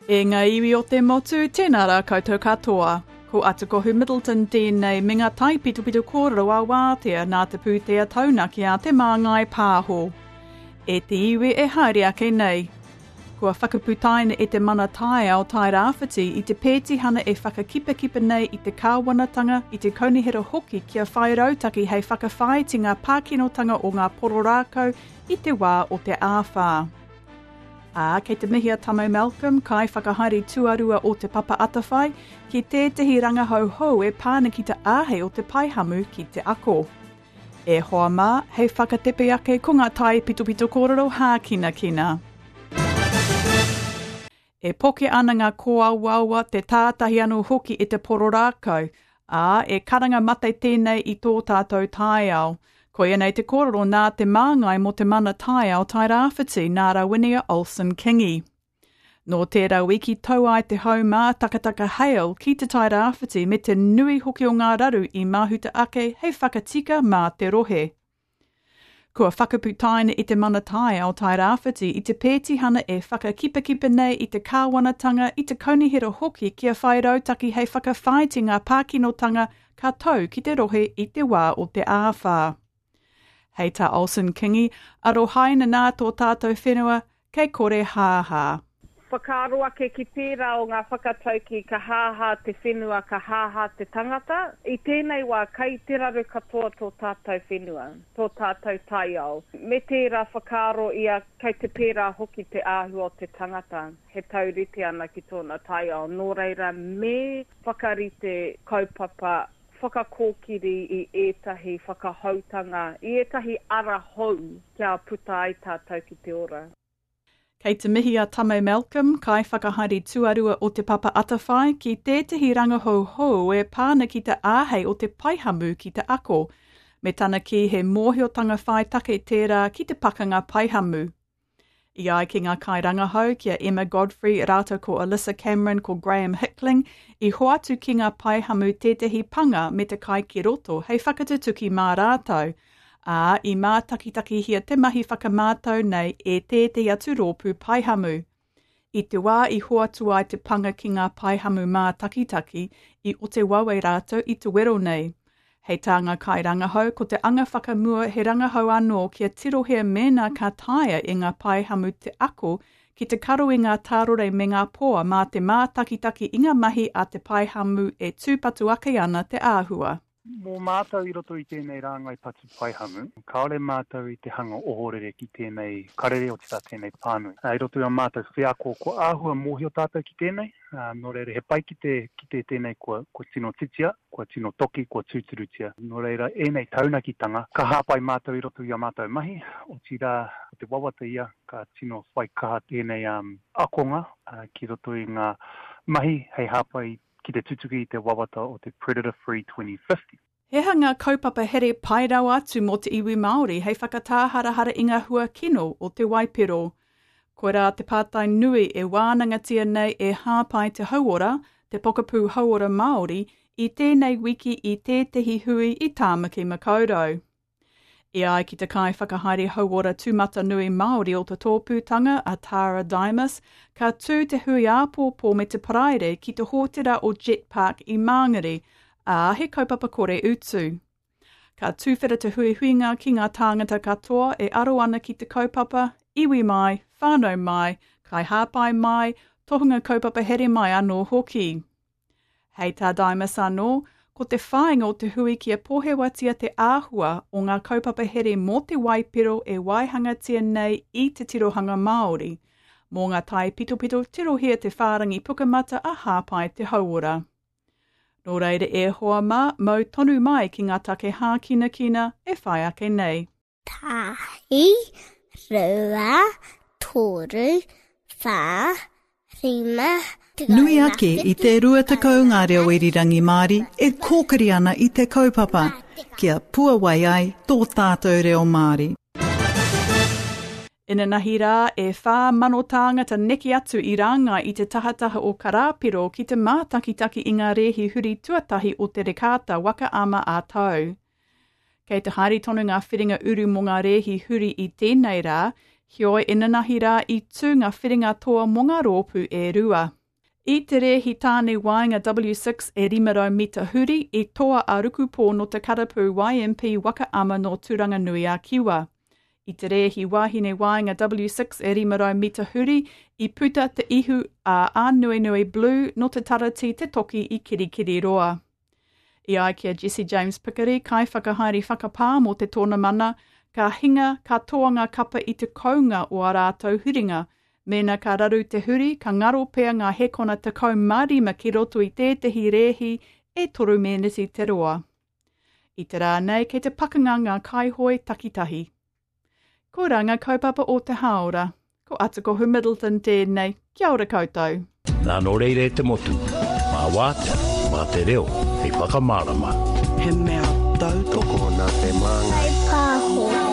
E ngā iwi o te motu, tēnā rā koutou katoa. Ko Atukohu Middleton tēnei me ngā taipitopito kōrero a Wātea nā te pūtea taunaki a Te Māngai Pāho. E te iwi e haere ake nei. Kua whakaputaina e te Mana Taiao Tairāwhiti i te pētihana e whakakipakipa nei i te kāwanatanga, i te kaunihera hoki kia whai rautaki hei whakawhāiti ngā pākinotanga o ngā poro rākau i te wā o te āwhā. Ā, kei te mihi a Tamo Malcolm, kaiwhakahaere tuarua o Te Papa Atawhai, ki tētehi rangahau hou e pā ana ki te āhei o te paihamu ki te ako. E hoa mā, hei whakatepe ake ko ngā taipitopito kōrero hākinakina. E poke ana ngā kōawaawa, te tātahi anō hoki i te poro rākau, ā, e karanga mate tēnei i tō tātou taiao. Koia nei te kōrero nā te māngai mō te mana taiao Tairāwhiti, nā Rawinia Olsen Kingi. Nō tērā wiki tau ai te hau mātakataka Hale ki Te Tai Rāwhiti me te nui hoki o ngā raru i mahuta ake hei whakatika mā te rohe. Kua whakaputaina e te Mana Taiao Tai Rāwhiti i te pētihana e whakakipakipa nei i te kāwanatanga, i te kaunihera hoki kia whai rautaki hei whakawhāiti ngā pākinotanga ka tau ki te rohe i te wā o te āwhā. Hei tā Olsen Kingi, Arohaina nā tō tātou whenua, kei kore hāhā. Whakaaro ake ki tērā o ngā whakatauki ka hāhā te whenua, ka hāhā te tangata. I tēnei wā, kei te raru katoa tō tātou whenua, tō tātou taiao. Me tērā whakaaro ia, kei te pērā hoki te āhua o te tangata, he taurite ana ki tōna taiao. Nō reira, me whakarite kaupapa whakakōkiri i ētahi whakahoutanga, i ētahi ara hou kia puta ai tātou ki te ora. Kei te mihi a Tame Malcolm, Kaiwhakahaere Tuarua o Te Papa Atawhai, ki tētehi rangahau hou e pā ana ki te āhei o te paihamu ki te ako, me tana kī he mōhiotanga whai take tērā ki te pakanga paihamu. I ai ki ngā kairangahau, ki a Emma Godfrey rātou ko Alyssa Cameron ko Graham Hickling, i hoatu ki ngā paihamu tētehi panga me te kai ki roto hei whakatutuki mā rātou, ā, i mātakitakihia te mahi whakamātau nei e tētehi atu rōpū paihamu. I te wā i hoatu ai te panga ki ngā paihamu mātakitaki, i ote wawe rātou i te wero nei. Hei tā ngā kairangahau, ko te anga whakamua he rangahau anō kia tirohia mēnā ka taea e ngā paihamu te ako ki te karo i ngā tārore me ngā poa mā te mātakitaki i ngā mahi a te paihamu e tūpatu ake ana te āhua. Mō mātou i roto i tēnei rāngai patu paihamu, kāore mātou i te hanga ohorere ki tēnei karere, otirā tēnei pānui. I roto i ā mātou wheako, kua āhua mōhio tātou ki tēnei, nō reira he pai ki te kite tēnei kua, kua tino titia, kua tino toki, kua tūturutia. Nō reira, ēnei taunakitanga, ka hāpai mātou i roto i ā mātou mahi, otirā, ko te wawata ia, ka tino whai kaha tēnei akonga ki roto i ngā mahi hei hāpai ki te tutuki i te wawata o te Predator Free 2050. He aha ngā kaupapa here pai rawa atu mō te iwi Māori hei whakatāharahara i ngā hua kino o te waipiro? Koirā te pātai nui e wānangatia nei e Hāpai Te Hauora, te pokapū hauora Māori, i tēnei wiki i tētehi hui i Tāmaki Makaurau. E ai ki te Kaiwhakahaere Hauora Tūmatanui Māori o te tōpūtanga, a Tara Dimas, ka tū te hui āpōpō me te Paraire ki te hōtera o Jet Park i Māngere, ā, he kaupapa kore utu. Ka tuwhera te huihuinga ki ngā tāngata katoa e aro ana ki te kaupapa, iwi mai, whānau mai, kaihāpai mai, tohunga kaupapa here mai anō hoki. Hei tā Dimas anō, ko te whāinga o te hui kia pohewatia te āhua o ngā kaupapa here mō te waipiro e waihangatia nei i te tirohanga Māori. Mō ngā taipitopito tirohia te whārangi pukamata a Hāpai te Hauora. Nō reira e hoa mā, mau tonu mai ki ngā take hākinakina e whai ake nei. Tahi, rua, toru, wha, rima, Nui ake i te 20 ngā reo irirangi Māori e kōkiri ana i te kaupapa kia puawai ai tō tātou reo Māori. Inanahi rā, e 4,000 tāngata neke atu i rāngai i te tahataha o Karāpiro ki te mātakitaki i ngā rēhi huri tuatahi o te Rekāta Waka Ama ā-Tau. Kei te haere tonu ngā whiringa uru mō ngā rēhi huri i tēnei rā, Heoi, inanahi rā i tū ngā whiringa toa mō ngā rōpū e rua. I te rēhi tāne waenga W6 e 500 mita huri, i toa a Rukupō nō te karapu YMP Waka Ama nō Tūranganui-a-Kiwa. I te rēhi wāhine waenga W6 e 500 mita huri, i puta te ihu a Ānuenue Blue nō te Taratī Te Toki i Kirikiriroa. I ai ki a Jesse James Pikiri, kaiwhakahaere whakapā mō te tōnamana, ka hinga, ka toa ngā kapa i te kounga o ā rātou huringa. Mēnā ka raru te huri, ka ngaro pea ngā hekona 15 ki roto i tētehi rēhi e toru mēneti te roa. I te rā nei, kei te pakanga ngā kaihoe takitahi. Koirā ngā kaupapa o te hāora. Ko Atakohu Middleton tēnei. Kia ora koutou. Nā nō reira e te motu, mā wātea, mā te reo hei whakamārama. He mea tautoko. Tokona te māngai. Whai pāho.